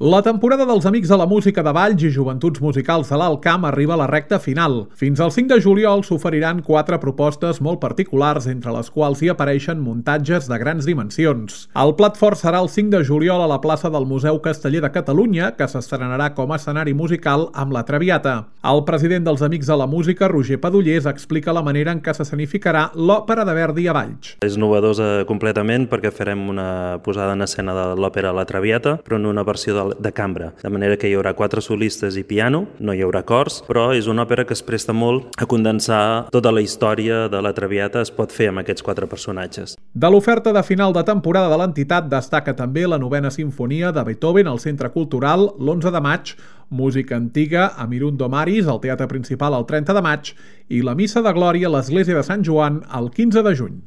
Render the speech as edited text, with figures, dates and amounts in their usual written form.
La temporada dels Amics de la Música de Valls i Joventuts Musicals de l'Alt Camp arriba a la recta final. Fins al 5 de juliol s'oferiran 4 propostes molt particulars, entre les quals hi apareixen muntatges de grans dimensions. El plat fort serà el 5 de juliol a la plaça del Museu Casteller de Catalunya, que s'estrenarà com a escenari musical amb La Traviata. El president dels Amics de la Música, Roger Padullers, explica la manera en què s'escenificarà l'Òpera de Verdi a Valls. És novedosa completament perquè farem una posada en escena de l'òpera La Traviata, però en una versió de cambra, de manera que hi haurà 4 solistes i piano, no hi haurà cors, però és una òpera que es presta molt a condensar tota la història de La Traviata, es pot fer amb aquests 4 personatges. De l'oferta de final de temporada de l'entitat destaca també la 9a Simfonia de Beethoven al Centre Cultural l'11 de maig, música antiga a Mirundo Maris al Teatre Principal el 30 de maig i la Missa de Glòria a l'Església de Sant Joan el 15 de juny.